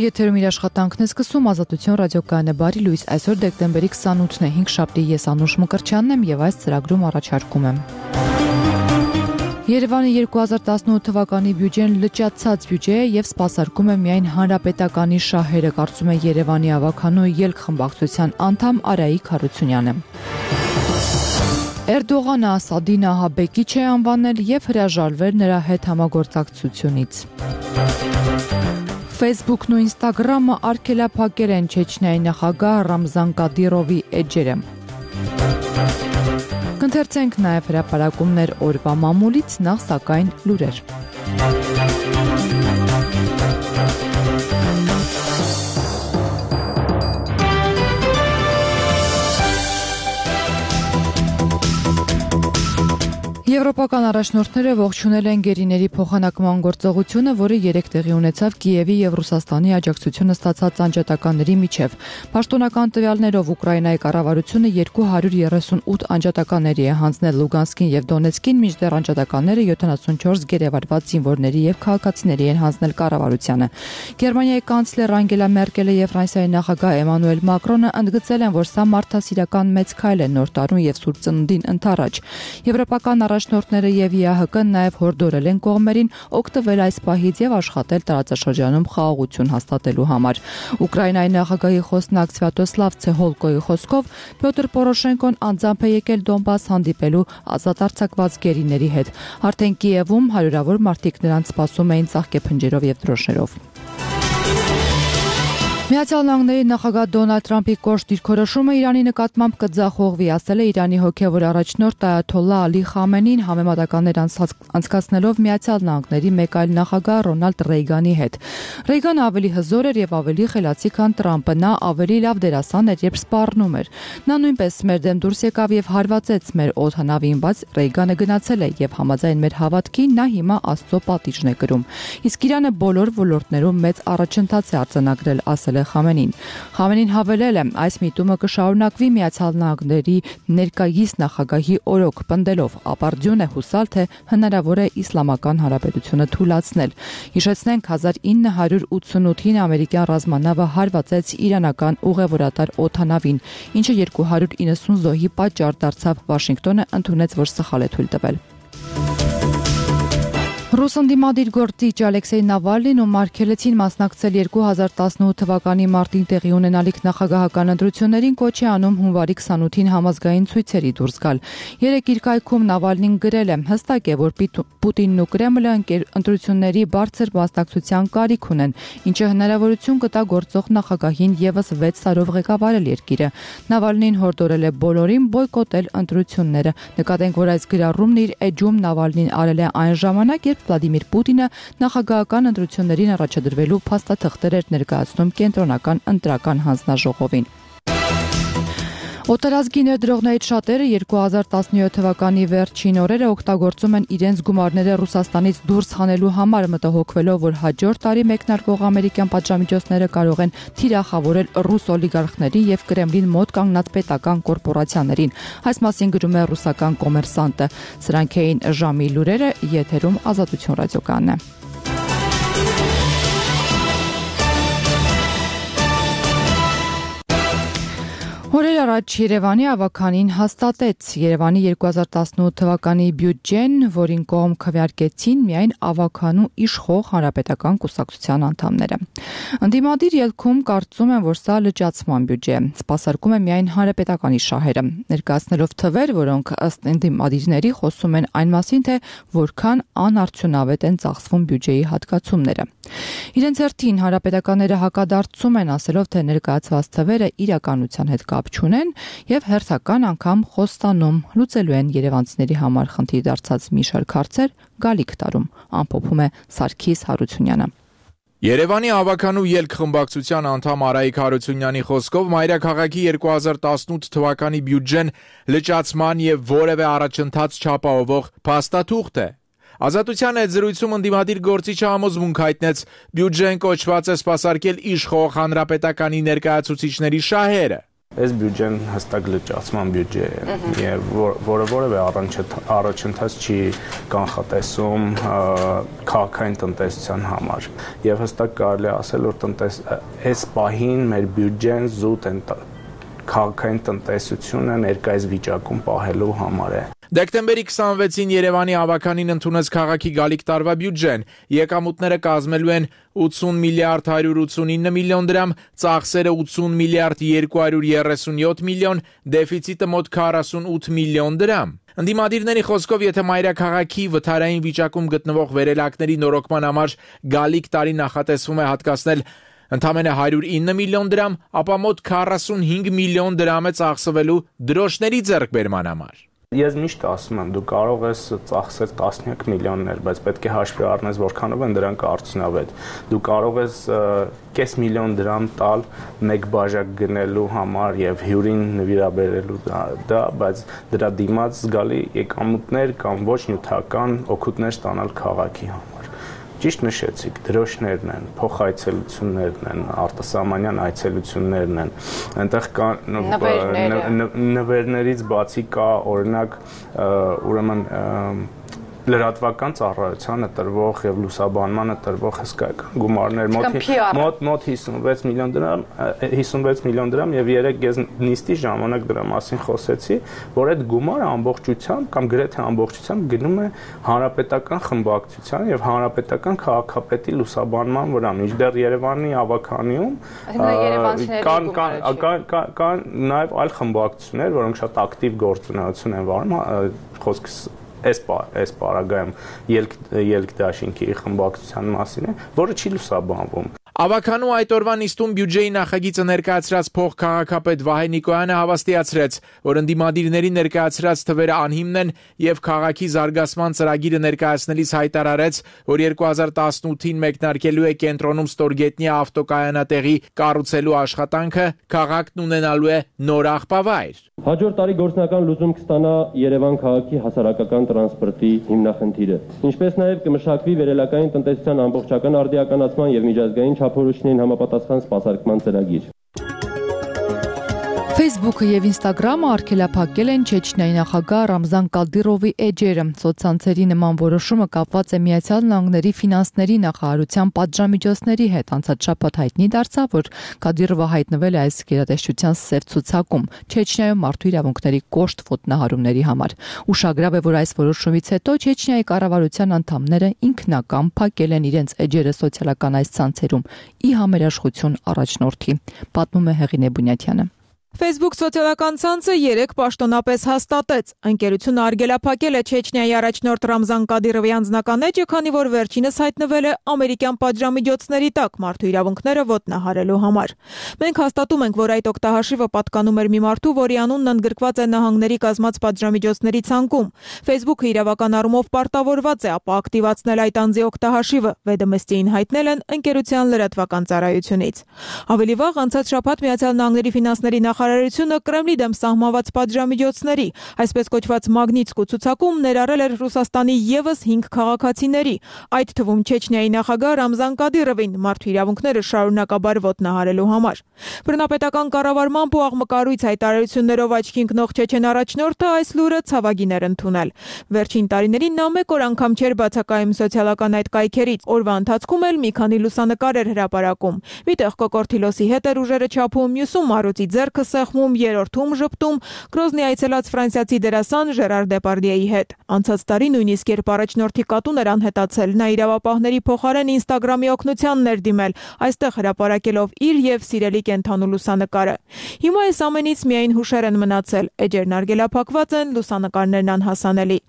Եթերում իր աշխատանքն է սկսում Ազատություն ռադիոկայանը բարի լույս, այսօր դեկտեմբերի 28-ն է, 5 շաբթի, ես Անուշ Մկրտչյանն եմ եւ այս ծրագրում առաջարկում եմ։ Երևանի 2018 թվականի բյուջեն լճացած բյուջե է եւ սպասարկում է միայն հանրապետականի շահերը, կարծում է Երևանի ավականու ելք խմբակցության անդամ Արայիկ Հարությունյանը։ Էրդողանը Ասադի նահաբեկիչ է անվանել եւ հրաժարվել նրա հետ համագործակցությունից։ Facebook-ն ու Instagram-ը արգելափակել են Չեչնիայի նախագահ Ռամզան Կադիրովի էջերը։ Կընթերցենք նաև հրապարակումներ օրվա մամուլից, նախ սակայն լուրեր։ Եվրոպական առաջնորդները ողջունել են գերիների փոխանակման գործողությունը, որը 3 տեղի ունեցավ Կիևի եւ Ռուսաստանի աջակցությունը ստացած անջատականների միջև։ Պաշտոնական տվյալներով Ուկրաինայի կառավարությունը 238 անջատականների է հանձնել Լուգանսկին եւ Դոնեցկին, մինչդեռ անջատականները 74 գերեվարված զինվորների եւ քաղաքացիների են հանձնել կառավարությանը։ Գերմանիայի կանցլեր Անգելա Մերկելը եւ Ֆրանսիայի նախագահ Էմանուել Մակրոնը ընդգծել են, որ սա մարդասիրական մեծ քայլ է նոր տարուն եւ Սուրբ Ծննդին ընթառաջ։ Եվրոպական առաջնորդները եւ ԵԱՀԿ-ն նաեւ հորդորել են կողմերին օգտվել այս պահից եւ աշխատել տարածաշրջանում խաղաղություն հաստատելու համար։ Ուկրաինայի նախագահի խոսնակ Սվյատոսլավ Ցեհոլկոյի խոսքով Պյոտր Պորոշենկոն անձամբ է եկել Դոնբաս հանդիպելու ազատ արձակված գերիների հետ։ Արդեն Կիևում հարյուրավոր մարդիկ նրանց սպասում էին ծաղկեփնջերով եւ դրոշներով։ Միացյալ Նահանգների նախագահ Դոնալդ Թրամփի կոշտ դիրքորոշումը Իրանի նկատմամբ կձախողվի, ասել է Իրանի հոգևոր առաջնորդ Այաթոլլահ Ալի Խամենին համեմատականներ անցկացնելով Միացյալ Նահանգների մեկ այլ նախագահ Ռոնալդ Ռեյգանի հետ։ Ռեյգանը ավելի հզոր էր եւ ավելի խելացի, քան Թրամփը, նա ավելի լավ դերասան էր, երբ սպառնում էր։ Նա նույնպես մեր դեմ դուրս եկավ եւ հարվածեց մեր օդանավին, բայց Ռեյգանը գնացել է եւ համաձայն մեր հավատքի նա հիմա Աստծո պատիժն է կրում։ Իսկ Իրանը բոլոր ոլորտներում մեծ առաջընթաց է արձանագրել, ասել է Խամենին հավելել է, այս միտումը կշարունակվի Միացյալ Նահանգների ներկայիս նախագահի օրոք, պնդելով, ապարդյուն է հուսալ, թե հնարավոր է Իսլամական Հանրապետությունը թուլացնել։ Հիշեցնենք 1988-ին ամերիկյան ռազմանավը հարվածեց իրանական ուղևորատար օդանավին, ինչը 290 զոհի պատճառ դարձավ, Վաշինգտոնը ընդունեց, որ սխալ է թույլ տվել։ Ռուս ընդդիմադիր գործիչ Ալեքսեյ Նավալնին ու Մարգելեցին մասնակցել 2018 թվականի մարտին տեղի ունենալիք նախագահական ընտրություններին, կոչ է անում հունվարի 28-ին համազգային ցույցերի դուրս գալ։ Երեկ իր կայքում Նավալնին գրել է. հստակ է, որ Պուտինն ու Կրեմլը ընտրությունների բարձր մասնակցության կարիք ունեն, ինչը հնարավորություն կտա գործող նախագահին եւս 6 տարով ղեկավարել երկիրը։ Նավալնին հորդորել է բոլորին բոյկոտել ընտրությունները։ Նկատենք, որ այս գրառումն իր էջում Նավալնին արել է այն ժամանակ, երբ Վլադիմիր Պուտինը նախագահական ընտրություններին առաջադրվելու փաստաթղթեր էր ներկայացնում կենտրոնական ընտրական հանձնաժողովին։ Օտարազգի ներդրողներից շատերը 2017 թվականի վերջին օրերը օգտագործում են իրենց գումարները Ռուսաստանից դուրս հանելու համար, մտահոգվելով, որ հաջորդ տարի մեկնարկող ամերիկյան պատժամիջոցները կարող են թիրախավորել ռուս օլիգարխների եւ Կրեմլին մոտ կանգնած պետական կորպորացիաներին։ Այս մասին գրում է ռուսական Կոմերսանտը։ Սրանք էին ժամի լուրերը, եթերում Ազատություն ռադիոկայանն է։ Օրեր առաջ Երևանի ավականին հաստատեց Երևանի 2018 թվականի բյուջեն, որին կողմ քվեարկեցին միայն ավականու իշխող հանրապետական կուսակցության անդամները։ Ընդդիմադիր ելքում կարծում են, որ սա լճացման բյուջե է, սպասարկում է միայն հանրապետականի շահերը, ներկայացնելով թվեր, որոնք ըստ ընդդիմադիրների խոսում են այն մասին, թե որքան անարդյունավետ են ծախսվում բյուջեի հատկացումները։ Իրենց հերթին հանրապետականները հակադարձում են, ասելով, թե ներկայացված թվերը իրականության հետ կապ չունեն եւ հերթական անգամ խոստանում լուծելու են երևանցիների համար խնդիր դարձած մի շարք հարցեր գալիք տարում, ամփոփում է Սարգիս Հարությունյանը։ Երևանի ավականու ելք խմբակցության անդամ Արայիկ Հարությունյանի խոսքով մայրաքաղաքի 2018 թվականի բյուջեն լճացման եւ որևէ առաջընթաց չապահովող փաստաթուղթ է։ Ազատության հետ զրույցում ընդդիմադիր գործիչը համոզմունք հայտնեց, բյուջեն կոչված է սպասարկել իշխող հանրապետականի ներկայացուցիչների շահերը։ Այս բյուջեն հստակ լճացման բյուջե է, եւ որևէ առաջընթաց չի կանխատեսում քաղաքային տնտեսության համար։ Եվ հստակ կարելի է ասել, որ այս պահին մեր բյուջեն զուտ քաղաքային տնտեսությունը ներկայիս վիճակում պահելու համար է։ Դեկտեմբերի 26-ին Երևանի ավականին ընդունեց քաղաքի գալիք տարվա բյուջեն։ Եկամուտները կազմելու են 80 միլիարդ 189 միլիոն դրամ, ծախսերը 80 միլիարդ 237 միլիոն, դեֆիցիտը մոտ 48 միլիոն դրամ։ Ընդդիմադիրների խոսքով, եթե մայրաքաղաքի վթարային վիճակում գտնվող վերելակների նորոգման համար գալիք տարի նախատեսվում է հատկացնել ընդամենը 109 միլիոն դրամ, ապա մոտ 45 միլիոն դրամ է ծախսվելու դրոշների ձեռքբերման համար։ Ես միշտ ասում եմ, դու կարող ես ծախսել տասնյակ միլիոններ, բայց պետք է հաշվի առնես որքանով են դրանք արդյունավետ։ Դու կարող ես կես միլիոն դրամ տալ մեկ բաժակ գնելու համար եւ հյուրին նվիրաբերելու դա, բայց դրա դիմաց զգալի եկամուտներ կամ ոչ նյութական օգուտներ ստանալ քաղաքի համար։ Ճիշտ նշեցիք, դրոշներն են, փոխայցելություններն են, արտասահմանյան այցելություններն են, այնտեղ կա նվերներից բացի կա օրինակ ուրեմն լրատվական ծառայությանը տրվող եւ լուսաբանմանը տրվող հսկայական գումարներ մոտ 56 միլիոն դրամ եւ երեք ես նիստի ժամանակ դրա մասին խոսեցի, որ այդ գումարը ամբողջությամբ կամ գրեթե ամբողջությամբ գնում է հանրապետական խմբակցության եւ հանրապետական քաղաքապետի լուսաբանման վրա, մինչդեռ Երևանի ավականիում կան նաեւ այլ խմբակցություններ, որոնք շատ ակտիվ գործունեություն են վարում, խոսքս այս պարագայում ելք դաշինքի խմբակցության մասին է, որը չի լուսաբանվում։ Ավականու այդ օրվա նիստում բյուջեի նախագիծը ներկայացրած փոխքաղաքապետ Վահե Նիկոյանը հավաստիացրեց, որ ընդդիմադիրների ներկայացրած թվերը անհիմն են եւ քաղաքի զարգացման ծրագիրը ներկայացնելիս հայտարարեց, որ 2018-ին մեկնարկելու է կենտրոնում ստորգետնյա ավտոկայանատեղի կառուցելու աշխատանքը, քաղաքն ունենալու է նոր աղբավայր։ Հաջորդ տարի գործնական լուծում կստանա Երևան քաղաքի հասարակական տրանսպորտի հիմնախնդիրը, ինչպես նաև կմշակվի վերելակային տնտեսության ամբողջական արդիականացման եւ միջազգային չափորոշիչներին համապատասխան սպասարկման ծրագիր։ Facebook-ը եւ Instagram-ը արգելափակել են Չեչնիայի նախագահ Ռամզան Կադիրովի էջերը։ Սոցցանցերի նման որոշումը կապված է Միացյալ Նահանգների ֆինանսների նախարարության պատժամիջոցների հետ։ Անցած շաբաթ հայտնի դարձավ, որ Կադիրովը հայտնվել է այս գերատեսչության սև ցուցակում Չեչնիայում մարդու իրավունքների կոշտ ոտնահարումների համար։ Ուշագրավ է, որ այս որոշումից հետո Չեչնիայի կառավարության անդամները ինքնական փակել են իրենց էջերը սոցիալական այս ցանցերում՝ ի համերաշխություն առաջնորդի։ Պատմում է Հեղինե Բունյաթյանը։ Facebook սոցիալական ցանցը 3 պաշտոնապես հաստատեց։ Ընկերությունը արգելափակել է Չեչնիայի առաջնորդ Ռամզան Կադիրովի անձնական էջը, քանի որ վերջինս հայտնվել է ամերիկյան պատժամիջոցների տակ մարդու իրավունքները ոտնահարելու համար։ Մենք հաստատում ենք, որ այդ օգտահաշիվը պատկանում էր մի մարդու, որի անունն ընդգրկված է նահանգների կազմած պատժամիջոցների ցանկում։ Facebook-ը իրավական առումով պարտավորված է ապա ակտիվացնել այդ անձի օգտահաշիվը, VDMST-ին հայտնել են ընկերության լրատվական ծառայությունից։ Ավելի վաղ անցած շաբաթ Միացյալ Նահանգների ֆինանսների նախարարությունը Կրեմլի դեմ սահմանված պատժամիջոցների, այսպես կոչված Մագնիտսկու ցուցակում ներառել էր Ռուսաստանի եւս 5 քաղաքացիների, այդ թվում Չեչնիայի նախագահ Ռամզան Կադիրովին մարդու իրավունքները շարունակաբար ոտնահարելու համար։ Բռնապետական կառավարմամբ ու աղմկարույց հայտարարություններով աչքի ընկնող չեչեն առաջնորդը այս լուրը ցավագին էր ընդունել։ Վերջին տարիներին նա մեկ օր անգամ չէր բացակայում սոցիալական այդ կայքերից, օրվա ընթացքում էլ մի քանի լուսանկար էր հրապարակում։ Միտեղ կոկորտիլոսի հետ էր ուժերը չափում, մյուսում Մարոցի ձեռքը սեղմում, երրորդում ժպտում Գրոզնի այցելած ֆրանսիացի դերասան Ժերար Դեպարդիեի հետ։ Անցած տարի նույնիսկ երբ առաջնորդի կատուն էր անհետացել, նա իրավապահների փոխարեն Instagram-ի օգնությանն էր դիմել, այստեղ հրապարակելով իր եւ սիրելի կենթանու լուսանկարը։ Հիմա այս ամենից միայն հուշեր են մնացել, էջերն արգելափակված են, լուսանկարներն անհասանելի։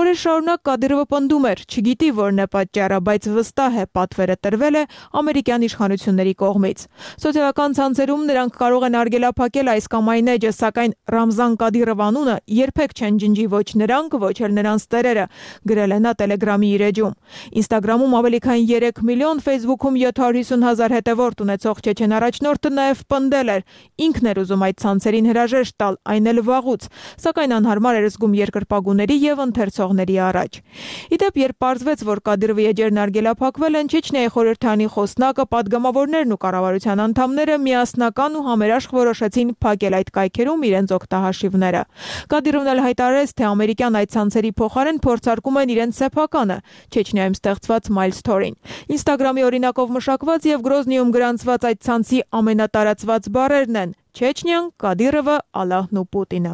Օրեր շարունակ Կադիրովը պնդում էր, չգիտի որն է պատճառը, բայց վստահ է պատվերը տրվել է ամերիկյան իշխանությունների կողմից։ Սոցիալական ցանցերում նրանք կարող են արգելափակել այս կամ այն էջը, սակայն Ռամզան Կադիրով անունը երբեք չեն ջնջի ոչ նրանք, ոչ էլ նրանց տերերը, գրել է նա Telegram-ի իր էջում։ Instagram-ում ավելի քան 3 միլիոն, Facebook-ում 750,000 հետևորդ ունեցող չեչեն առաջնորդը նաև պնդել էր, ինքն էր ուզում այդ ցանցերին հրաժեշտ տալ, այն էլ վաղուց, սակայն անհարմար էր զգում երկրպագուների եւ ընթերցողների առաջ։ Իդեպ, երբ պարզվեց, որ Կադիրովի էջերն արգելափակվել են, Չեչնիայի խորհրդանի խոսնակը, падգամավորներն ու կառավարության անդամները միասնական ու համերաշխ որոշեցին փակել այդ կայքերում իրենց օգտահաշիվները։ Կադիրովն էլ հայտարարեց, թե ամերիկյան այդ ցանցերի փոխարեն փորձարկում են իրենց սեփականը՝ Չեչնիայում ստեղծված MyStory-ին։ Instagram-ի օրինակով մշակված եւ Գրոզնիում գրանցված այդ ցանցի ամենատարածված բառերն են՝ Չեչնիան, Կադիրովը, Ալլահն ու Պուտինը։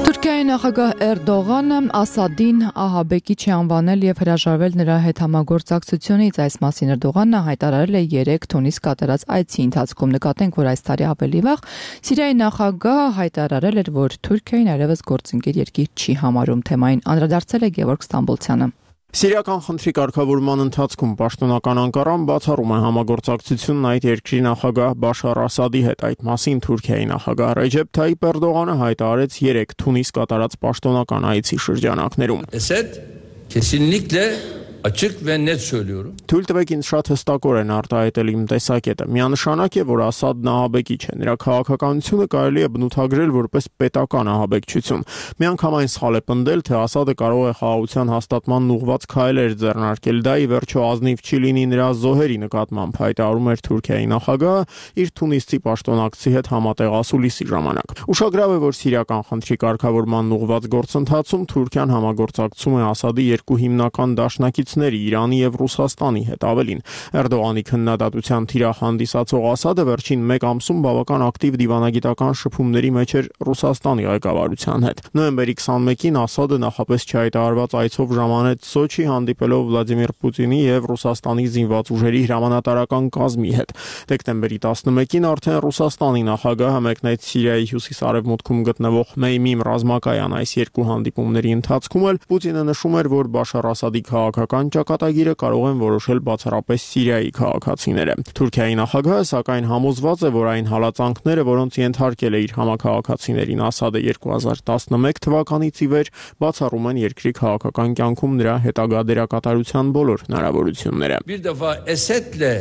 Թուրքիայի նախագահ Էրդողանը Ասադին ահաբեկիչ է անվանել եւ հրաժարվել նրա հետ համագործակցությունից։ Այս մասին Էրդողանը հայտարարել է 3 Թունիս կատարած այցի ընթացքում։ Նկատենք, որ այս տարի ավելի վաղ Սիրիայի նախագահը հայտարարել էր, որ Թուրքիային այլևս գործընկեր երկիր չի համարում։ Թեմային անդրադարձել է Գևորգ Ստամբոլցյանը։ Սիրիական խնդրի կարգավորման ընթացքում պաշտոնական Անկարան բացառում է համագործակցությունն այդ երկրի նախագահ Բաշար Ասադի հետ։ Այդ մասին Թուրքիայի նախագահ Ռեջեփ Թայիփ Էրդողանը հայտարարեց 3 Թունիս կատարած պաշտոնական այցի շրջանակներում։ Esed kesinlikle açık ve net söylüyorum. Թույլ տվեք ինձ շատ հստակորեն արտահայտել իմ տեսակետը։ Միանշանակ է, որ Ասադն ահաբեկիչ է։ Նրա քաղաքականությունը կարելի է բնութագրել որպես պետական ահաբեկչություն։ Միանգամայն սխալ է պնդել, թե Ասադը կարող է խաղաղության հաստատման ուղղված քայլեր ձեռնարկել։ Դա ի վերջո ազնիվ չի լինի նրա զոհերի նկատմամբ, հայտարարում էր Թուրքիայի նախագահը իր Թունիսցի պաշտոնակցի հետ համատեղ ասուլիսի ժամանակ։ Ուշագրավ է, որ սիրիական խնդրի կարգավորման ուղղված գործընթացում Թուրքիան համագործակցում է Ասադի երկու հիմնական դաշնակիցների Իրանի եւ Ռուսաստանի հետ։ Ավելին, Էրդողանի քննադատության թիրախ հանդիսացող Ասադը վերջին 1 ամսում բավական ակտիվ դիվանագիտական շփումների մեջ էր Ռուսաստանի ղեկավարության հետ։ Նոյեմբերի 21-ին Ասադը նախապես չհայտարարված այցով ժամանեց Սոչի, հանդիպելով Վլադիմիր Պուտինի եւ Ռուսաստանի զինված ուժերի հրամանատարական կազմի հետ։ Դեկտեմբերի 11-ին արդեն Ռուսաստանի նախագահը մեկնեց Սիրիայի հյուսիս-արևմուտքում գտնվող Մեյմիմ ռազմակայան։ Այս երկու հանդիպումների ընթացքում էլ Պուտինը նշում էր, որ Բաշար Ասադի քաղաքական ճակատագիրը կարող են որոշել բացառապես Սիրիայի քաղաքացիները։ Թուրքիայի նախագահը սակայն համոզված է, որ այն հալածանքները, որոնց ենթարկել է իր համաքաղաքացիներին Ասադը 2011 թվականից ի վեր, բացառում են երկրի քաղաքական կյանքում նրա հետագա դերակատարության բոլոր հնարավորությունները։ Bir defa Esed'le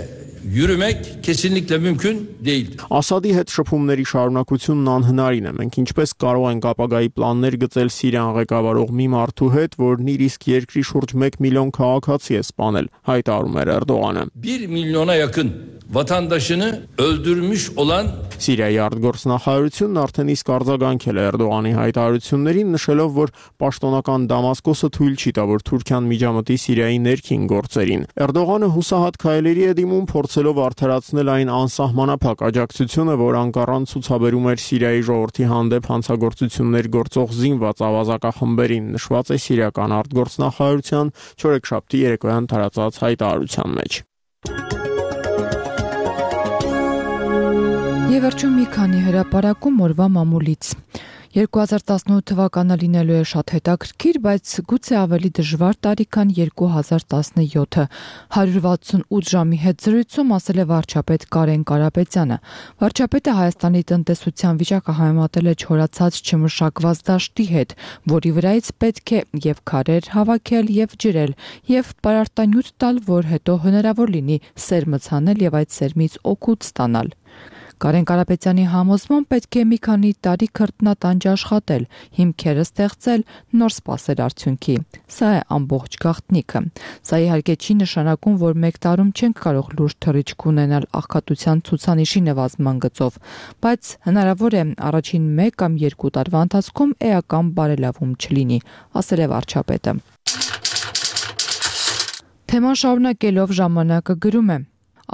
yürümek kesinlikle mümkün değil. Ասադի հետ շփումների շարունակությունն անհնարին է։ Մենք ինչպես կարող ենք ապագայի պլաններ գծել Սիրիան ղեկավարող մի մարդու հետ, որն իր իսկ երկրի շուրջ 1 միլիոն քաղաքացի է սպանել, հայտարարում էր Էրդողանը։ 1 milyona yakın vatandaşını öldürmüş olan Սիրիայի արտգործնախարարությունն արդեն իսկ արձագանքել է Էրդողանի հայտարարություններին, նշելով, որ պաշտոնական Դամասկոսը թույլ չի տա, որ Թուրքիան միջամտի Սիրիայի ներքին գործերին։ Էրդողանը հուսահատ քայլերի է դիմում, փորձելով արդարացնել այն անսահմանափակ աջակցությունը, որ Անկարան ցուցաբերում էր Սիրիայի ժողովրդի հանդեպ հանցագործություններ գործող զինված ավազակախմբերին, նշված է սիրիական արտգործնախարարության չորեքշաբթի երեկոյան տարածած հայտարարության մեջ։ Եվ վերջում մի քանի հրապարակում օրվա մամուլից։ 2018 թվականը լինելու է շատ հետաքրքիր, բայց գուցե ավելի դժվար տարի, քան 2017-ը։ 168 ժամի հետ զրույցում ասել է վարչապետ Կարեն Կարապետյանը։ Վարչապետը Հայաստանի տնտեսության վիճակը համեմատել է չորացած չմշակված դաշտի հետ, որի վրայից պետք է եւ քարեր հավաքել եւ ջրել, եւ պարարտանյութ տալ, որ հետո հնարավոր լինի սերմը ցանել եւ այդ սերմից օգուտ ստանալ։ Կարեն Կարապետյանի համոզմամբ պետք է մի քանի տարի քրտնատանջ աշխատել, հիմքերը ստեղծել, նոր սպասել արդյունքի։ Սա է ամբողջ գաղտնիքը։ Սա իհարկե չի նշանակում, որ 1 տարում չենք կարող լուրջ թռիչք ունենալ աղքատության ցուցանիշի նվազման գծով, բայց հնարավոր է առաջին 1 կամ 2 տարվա ընթացքում էական բարելավում չլինի, ասել է վարչապետը։ Թեման շարունակելով ժամանակը գրում է.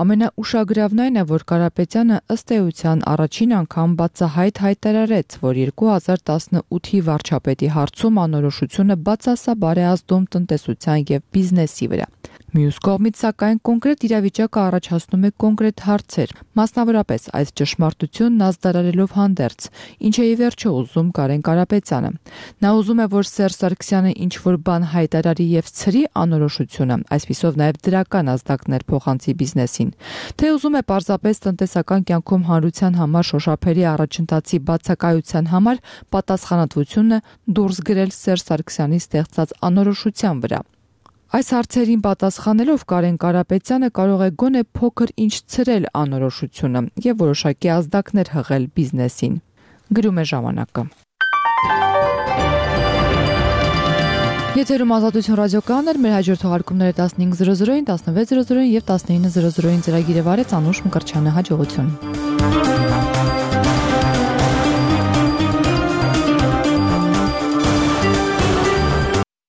Ամենաուշագրավն այն է, որ Կարապետյանը ըստ էության առաջին անգամ բացահայտ հայտարարեց, որ 2018-ի վարչապետի հարցում անորոշությունը բացասաբար է ազդում տնտեսության եւ բիզնեսի վրա։ Մյուս կողմից, սակայն, կոնկրետ իրավիճակը առաջացնում է կոնկրետ հարցեր, մասնավորապես այս ճշմարտությունն ազդարարելով հանդերձ, ինչ է ի վերջո ուզում Կարեն Կարապետյանը։ Նա ուզում է, որ Սերժ Սարգսյանը ինչ-որ բան հայտարարի եւ ցրի անորոշությունը, այսպիսով նաեւ դրական ազդակներ փոխանցի բիզնեսին, թե ուզում է պարզապես տնտեսական կյանքում հանրության համար շոշափելի առաջընթացի բացակայության համար պատասխանատվությունը դուրս գրել Սերժ Սարգսյանի ստեղծած անորոշության վրա։ Այս հարցերին պատասխանելով Կարեն Կարապետյանը կարող է գոնե փոքր ինչ ցրել անորոշությունը եւ որոշակի ազդակներ հղել բիզնեսին։ Գրում է ժամանակը։ Եթերում Ազատություն ռադիոկայանն մեր հաջորդ թողարկումները 15:00-ին, 16:00-ին եւ 19:00-ին ծրագիրը վարեց Անուշ Մկրտչյանը։ Հաջողություն։